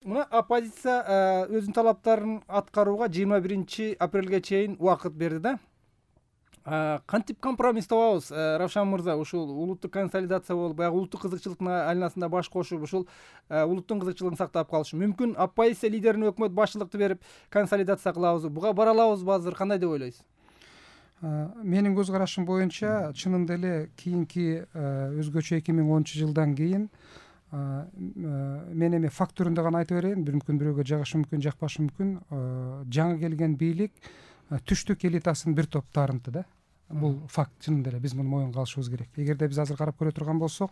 Мына оппозиция өзүнүн талаптарын аткарууга 21 апрелге чейин убакыт берди да. Кантип компромисс табабыз, Равшан мырза? Ушул улуттук консолидация болуп, баягы улуттук кызыкчылыктын айланасында баш кошуп, ушул улуттун кызыкчылыгын сактап калышы мүмкүн? Оппозиция лидерине өкмөт башчылыкты берип консолидация кылабызбы? Буга бара алабызбы азыр? Кандай деп ойлойсуз? Менин көз карашым боюнча чынында эле кийинки өзгөчө 2010-жылдан кийин мен эми факт түрүндө гана айтып берейин, бирөөгө жагышы мүмкүн, жакпашы мүмкүн. Жаңы келген бийлик түштүк элитасын бир топ таарынтты да. Бул факт, чынында эле биз муну моюнга алышыбыз керек. Эгерде биз азыр карап көрө турган болсок,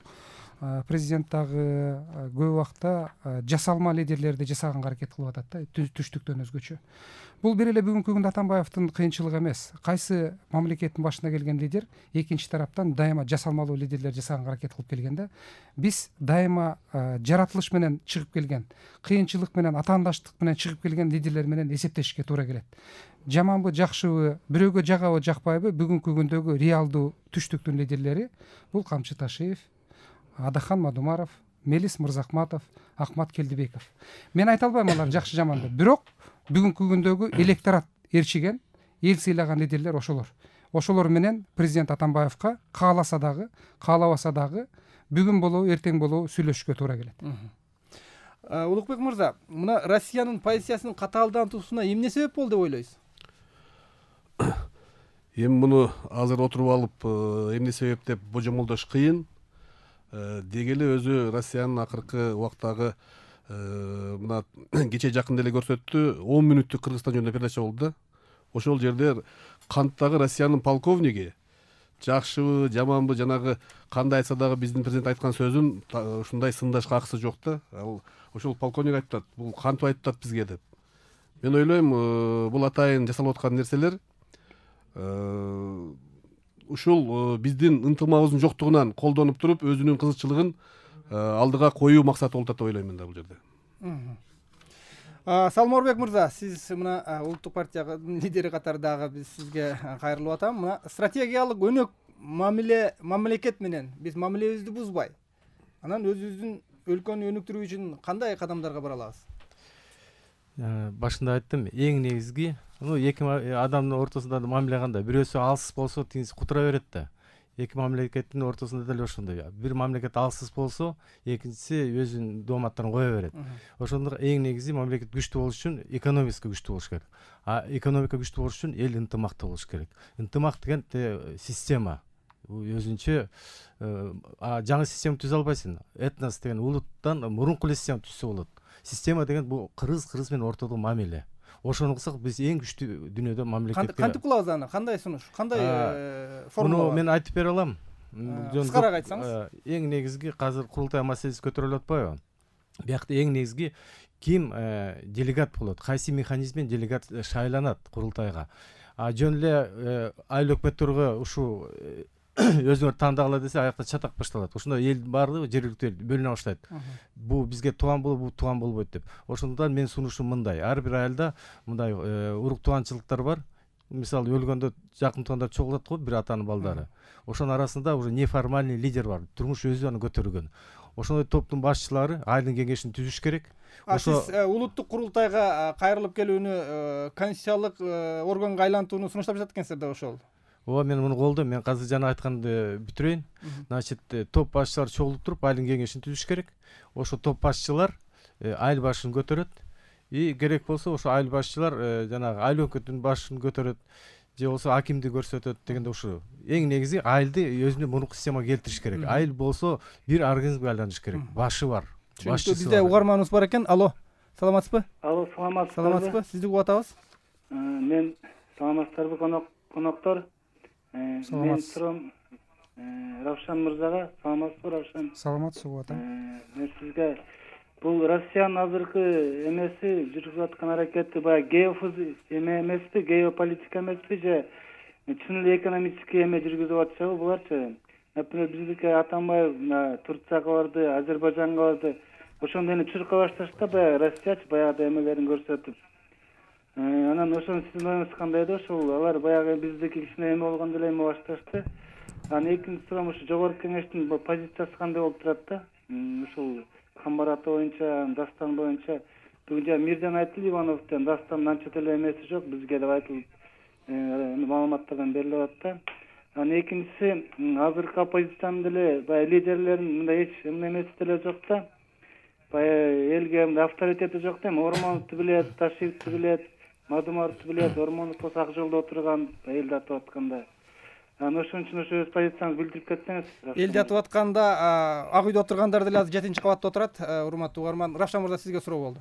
президент дагы көп убакта жасалма лидерлерди жасаганга аракет кылып атат да, түштүктөн өзгөчө. Бул бир эле бүгүнкү күндө Атамбаевдин кыйынчылыгы эмес. Кайсы мамлекеттин башына келген лидер экинчи тараптан дайыма жасалмалуу лидерлер жасаганга аракет кылып келген да. Биз дайыма жаратылыш менен чыгып келген, кыйынчылык менен, атаандаштык менен чыгып келген лидерлер менен эсептешке туура келет. Жаманбы, жакшыбы, бирөөгө жагабы, жакпайбы, бүгүнкү күндөгү реалдуу түштүктүн лидерлери бул Камчы Ташиев, Адахан Мадумаров, Мелис Мырзахматов, Акмат Келдибеков. Мен айта албайм алар жакшы жаман деп. Бирок бүгүнкү күндөгү электорат ээрчиген, эл сыйлаган лидерлер ошолор. Ошолор менен президент Атамбаевка кааласа дагы, каалабаса дагы бүгүн болобу, эртең болобу сүйлөшүшкө туура келет. Улукбек мырза, мына Россиянын позициясынын катаалдануусуна эмне себеп болду деп ойлойсуз? Эми муну азыр отуруп алып эмне себеп деп божомолдош кыйын. Деги эле өзү Россиянын акыркы убактагы мына кече жакында эле көрсөттү, 10 мүнөттүк Кыргызстан жөнүндө передача болду да. Ошол жерде канттагы Россиянын полковниги жакшыбы, жаманбы, жанагы кандай айтса дагы биздин президент айткан сөзүн ушундай сындашка акысы жок да. Ошол полковник айтып атат, бул кантип айтып атат бизге деп. Мен ойлойм, бул атайын жасалып аткан нерселер ушул биздин ынтымагыбыздын жоктугунан колдонуп туруп, өзүнүн кызыкчылыгын алдыга коюу максаты болуп атат деп ойлойм мен да бул жерде. Салморбек мырза, сиз мына улуттук партиянын лидери катары дагы биз сизге кайрылып атам. Мына стратегиялык өнөк мамлекет менен биз мамилебизди бузбай, анан өзүбүздүн өлкөнү өнүктүрүү үчүн кандай кадамдарга бара алабыз? Башында айттым, эң негизги эки адамдын ортосунда мамиле кандай? Бирөөсү алсыз болсо, тигиниси кутура берет да. Эки мамлекеттин ортосунда деле ошондой. Бир мамлекет алсыз болсо, экинчиси өзүнүн дооматтарын кое берет. Ошондо эң негизи мамлекет күчтүү болуш үчүн экономикасы күчтүү болуш керек. Экономика күчтүү болуш үчүн эл ынтымактуу болуш керек. Ынтымак деген система. Өзүнчө жаңы система түзө албайсың. Этнос деген улуттан мурунку эле система түзсө болот. Система деген бул кыргыз менен ортодо мамиле. Ошону кылсак биз эң күчтүү дүйнөдө мамлекетке. Кантип кылабыз аны? Кандай сунуш? Кандай формула? Муну мен айтып бере алам. Кыскараак айтсаңыз. Эң негизги азыр курултай маселеси көтөрүлүп атпайбы? Биякта эң негизги ким делегат болот? Кайсы механизмден делегат шайланат курултайга? Жөн эле айыл өкмөттөргө ушу өзүңөр тандагыла десе, аякта чатак башталат. Ошондо эл баардыгы жергиликтүү эл бөлүнө баштайт. Бул бизге тууган болобу, бул тууган болбойт деп. Ошондуктан мен сунушум мындай: ар бир айылда мындай урук тууганчылыктар бар. Мисалы өлгөндө жакын туугандар чогулат го, бир атанын балдары. Ошонун арасында уже неформальный лидер бар. Турмуш өзү аны көтөргөн. Ошондой топтун башчылары айылдын кеңешин түзүш керек. Сиз улуттук курултайга кайрылып келүүнү, конституциялык органга айлантууну сунуштап жатат экенсиз да ошол. Ооба, мен муну колдойм. Мен азыр жана айтканды бүтүрөйүн. Значит, топ башчылар чогулуп туруп айылдын кеңешин түзүш керек. Ошо топ башчылар айыл башын көтөрөт. Керек болсо ошо айыл башчылар жанагы айыл өкмөтүнүн башын көтөрөт, же болбосо акимди көрсөтөт дегенде ушу эң негизи айылды өзүнүн мурунку системага келтириш керек. Айыл болсо бир организмге айланыш керек. Башы бар. Бизде угарманыбыз бар экен. Алло, саламатсызбы? Алло, саламатсызбы? Сизди угуп атабыз. Мен саламатсыздарбы коноктор? Мен сурам Равшан мырзага. Саламатсызбы, Равшан? Саламатсыз угуп атам. Мен сизге бул Россиянын азыркы эмеси жүргүзүп аткан аракети баягы эмеспи, геополитика эмеспи, же чын эле экономический эме жүргүзүп атышабы буларчы? Например, биздики Атамбаев Турцияга барды, Азербайжанга барды. Ошондо эми чурка башташта баягы Россиячы баягы эмелерин көрсөтүп. Анан ошону сиздин оюңуз кандай да? Ошол алар баягы биздики кичине эме болгондо эле эме башташты. Анан экинчи сурам, ушу жогорку кеңештин позициясы кандай болуп турат да? Ушул Камбар ата боюнча, Дастан боюнча бүгүн Мирзан Айтыл Ивановдон дастан анча деле эмеси жок, бизге деп айтылып маалыматтардан берилип атат да. Анан экинчиси, азыркы оппозициянын деле баягы лидерлеринин мындай эч эмеси деле жок да. Баягы элге мындай авторитети жок да. Ормоновду билет, Ташиевди билет, Мадумаровду билет, Ормонов болсо ак жолдо отурган, элди атып атканда. Анан ошон үчүн ошо өз позицияңызды билдирип кетсеңиз. Элди атып атканда ак үйдө отургандар деле азыр 7-кабатта отурат. Урматтуу угарман, Равшан мырза, сизге суроо болду.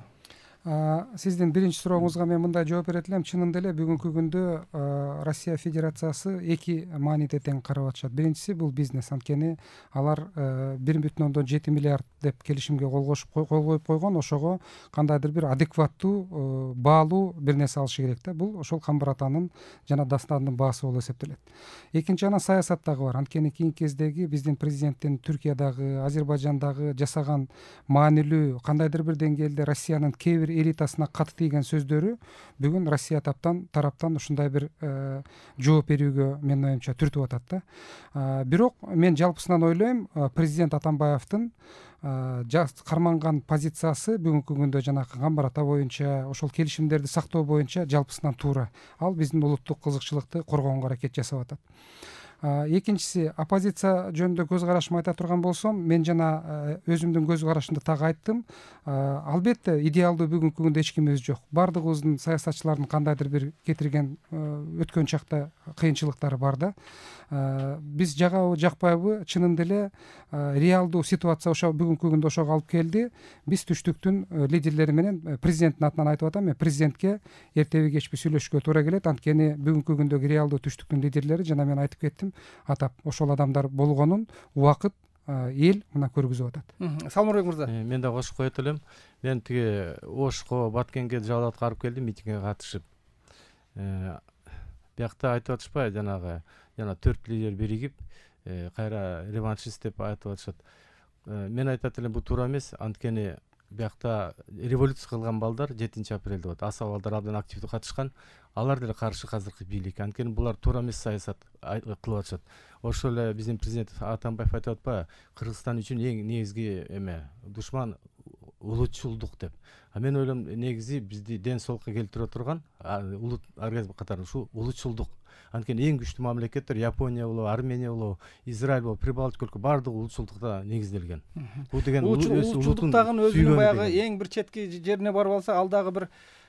Сиздин биринчи сурооңузга мен мындай жооп берет элем. Чынында эле бүгүнкү күндө Россия Федерациясы эки мааниде тең карап атышат. Биринчиси бул бизнес. Анткени алар 1,7 миллиард деп келишимге кол коюп койгон. Ошого кандайдыр бир адекваттуу баалуу бир нерсе алышы керек да. Бул ошол камбар атанын жана дастанын баасы болуп эсептелет. Экинчи анан саясат дагы бар. Анткени кийинки кездеги биздин президенттин Түркиядагы, Азербайжандагы жасаган маанилүү кандайдыр бир деңгээлде Россиянын кээ бир элитасына каты тийген сөздөрү бүгүн Россия тараптан ушундай бир жооп берүүгө менин оюмча түртүп атат да. Бирок мен жалпысынан ойлойм, президент Атамбаевдин карманган позициясы бүгүнкү күндө жанагы камбар ата боюнча ошол келишимдерди сактоо боюнча жалпысынан туура. Ал биздин улуттук кызыкчылыкты коргоонго аракет жасап атат. Экинчиси, оппозиция жөнүндө көз карашымды айта турган болсом, мен жана өзүмдүн көз карашымды так айттым. Албетте идеалдуу бүгүнкү күндө эч кимибиз жок. Бардыгыбыздын саясатчылардын кандайдыр бир кетирген өткөн чакта кыйынчылыктары бар да. Биз жагабы жакпайбы, чынында эле реалдуу ситуация ошо бүгүнкү күндө ошого алып келди. Биз түштүктүн лидерлери менен президенттин атынан айтып атам, мен президентке эртеби кечпи сүйлөшкө туура келет. Анткени бүгүнкү күндөгү реалдуу түштүктүн лидерлери жана мен айтып кеттим, атап ошол адамдар болгонун убакыт эл мына көргүзүп атат. Салмурбек мырза. Мен да кошуп коет элем. Мен тиги Ошко, Баткенге Жалал барып келдим, митингге катышып. Биякта айтып атышпайбы, жана 4 лидер биригип, кайра реваншист деп айтып атышат. Мен айтат элем, бул туура эмес. Анткени биякта революция кылган балдар 7 апрелде болот. Аса балдар абдан активдүү катышкан. Алар деле каршы азыркы бийликке. Анткени булар туура эмес саясат кылып атышат. Ошол эле биздин президент Атамбаев айтып атпайбы, Кыргызстан үчүн эң негизги душман улутчулдук деп. Мен ойлойм, негизи бизди ден соолукка келтире турган улут организм катары ушул улутчулдук. Анткени эң күчтүү мамлекеттер Япония болобу, Армения болобу, Израиль болобу, Прибалтика өлкө бардыгы улутчулдукта негизделген. Бул деген улутчулдуктагы өзүнүн баягы эң бир четки жерине барып алса, ал дагы бир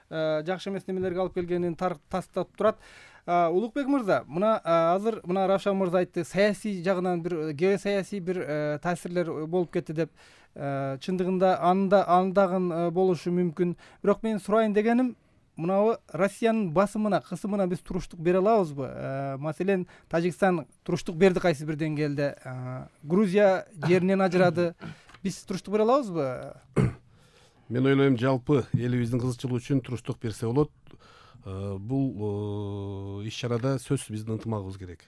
жакшы эмес немелерге алып келгенин тастап турат. Улукбек мырза, мына азыр мына Равшан мырза айтты, саясий жагынан бир геосаясий бир таасирлер болуп кетти деп. Чындыгында андагы болушу мүмкүн. Бирок мен сурайын дегеним, мынабы Россиянын басымына, кысымына биз туруштук бере алабызбы? Маселен, Тажикстан туруштук берди кайсы бир деңгээлде. Грузия жеринен ажырады. Биз туруштук бере алабызбы? Мен ойлойм, жалпы элибиздин кызыкчылыгы үчүн туруштук берсе болот. Бул иш-чарада сөзсүз биздин ынтымагыбыз керек.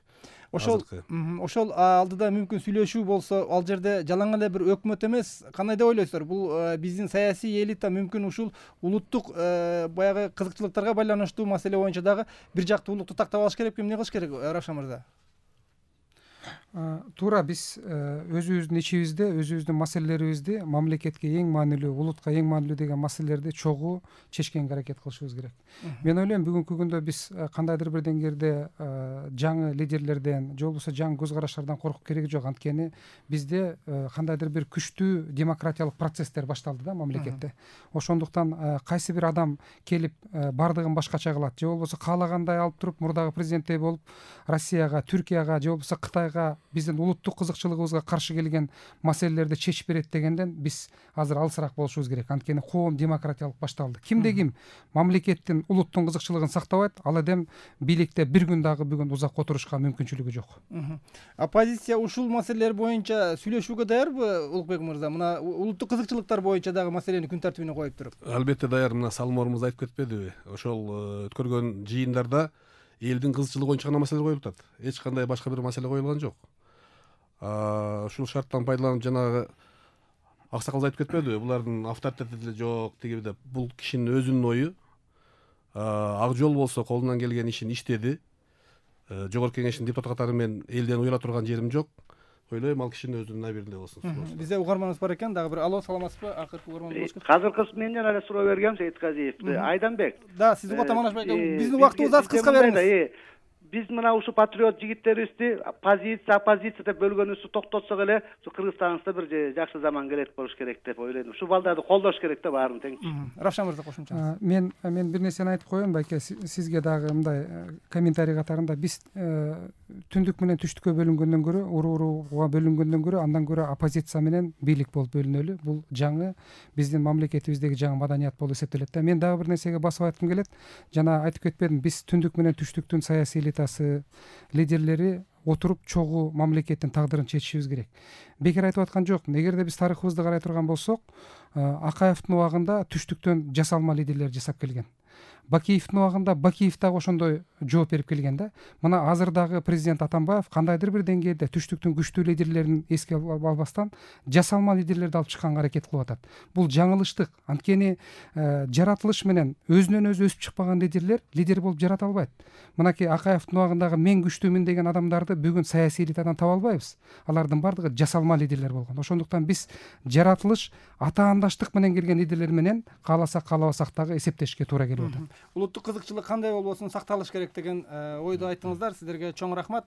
Ошол алдыда мүмкүн сүйлөшүү болсо, ал жерде жалаң эле бир өкмөт эмес, кандай деп ойлойсуздар? Бул биздин саясий элита мүмкүн ушул улуттук баягы кызыкчылыктарга байланыштуу маселе боюнча дагы бир жактуулукту тактап алыш керек. Эмне кылыш керек, Равшан мырза? Туура, биз өзүбүздүн ичибизде, өзүбүздүн маселелерибизди мамлекетке эң маанилүү, улутка эң маанилүү деген маселелерди чогуу чечкенге аракет кылышыбыз керек. Мен ойлойм, бүгүнкү күндө биз кандайдыр бир деңгээлде жаңы лидерлерден же болбосо жаңы көз караштардан коркуп кереги жок. Анткени бизде кандайдыр бир күчтүү демократиялык процесстер башталды да мамлекетте. Ошондуктан кайсы бир адам келип бардыгын башкача кылат, же болбосо каалагандай алып туруп мурдагы президенттей болуп Россияга, Түркияга же болбосо Кытайга биздин улуттук кызыкчылыгыбызга каршы келген маселелерди чечип берет дегенден биз азыр алысыраак болушубуз керек. Анткени коом демократиялык башталды. Кимде ким мамлекеттин, улуттун кызыкчылыгын сактабайт, ал эдем бийликте бир күн дагы бүгүн узак отурушка мүмкүнчүлүгү жок. Оппозиция ушул маселелер боюнча сүйлөшүүгө даярбы, Улукбек мырза? Мына улуттук кызыкчылыктар боюнча дагы маселени күн тартибине коюп туруп. Албетте даяр. Мына Салым мырза айтып кетпедиби? Ошол өткөргөн жыйындарда элдин кызыкчылыгы боюнча гана маселе коюлуп атат. Эч кандай башка бир маселе коюлган жок. Ушул шарттан пайдаланып жанагы аксакал айтып кетпедиби? Булардын авторитети деле жок тиги деп. Бул кишинин өзүнүн ою. Ак жол болсо колунан келген ишин иштеди. Жогорку кеңештин депутаты катары мен элден уяла турган жерим жок. ойлойм, ал кишинин өзүнүн абийирине болсун. Бизде угарманыбыз бар экен, дагы бир. Алло, саламатсызбы? Акыркы угарман болуш керек. Азыркысы мен жана эле суроо бергем, Сейитказиев. Айданбек. Да, сиз угата Манашбек. Биздин убактыбыз аз, кыска бериңиз. Биз мына ушу патриот жигиттерибизди позиция, оппозиция деп бөлгөнүбүздү токтотсок эле, ушу Кыргызстаныбызда бир жакшы заман келет болуш керек деп ойлойм. Ушу балдарды колдош керек да, баарын тең. Равшан мырза, кошумчаңыз. Мен бир нерсени айтып коеюн, байке, сизге дагы мындай комментарий катарында. Биз түндүк менен түштүккө бөлүнгөндөн көрө, урууга бөлүнгөндөн көрө, андан көрө оппозиция менен бийлик болуп бөлүнөлү. Бул жаңы биздин мамлекетибиздеги жаңы маданият болуп эсептелет да. Мен дагы бир нерсеге басып айткым келет. Жана айтып кетпедим, биз түндүк менен түштүктүн саясий лидерлери отуруп чогуу мамлекеттин тагдырын чечишибиз керек. Бекер айтып аткан жокмун. Эгерде биз тарыхыбызды карай турган болсок, Акаевдин убагында түштүктөн жасалма лидерлер жасап келген. Бакиевдин убагында Бакиев дагы ошондой жооп берип келген да. Мына азырдагы президент Атамбаев кандайдыр бир деңгээлде түштүктүн күчтүү лидерлерин эске албастан жасалма лидерлерди алып чыкканга аракет кылып атат. Бул жаңылыштык. Анткени жаратылыш менен өзүнөн өзү өсүп чыкпаган лидер болуп жарата албайт. Мынакей Акаевдин убагындагы мен күчтүүмүн деген адамдарды бүгүн саясий элитадан таба албайбыз. Алардын бардыгы жасалма лидерлер болгон. Ошондуктан биз жаратылыш атаандаштык менен келген лидерлер менен кааласак каалабасак дагы эсептешке туура келип атат. Улуттук кызыкчылык кандай болбосун сакталыш керек деген ойду айттыңыздар. Сиздерге чоң рахмат.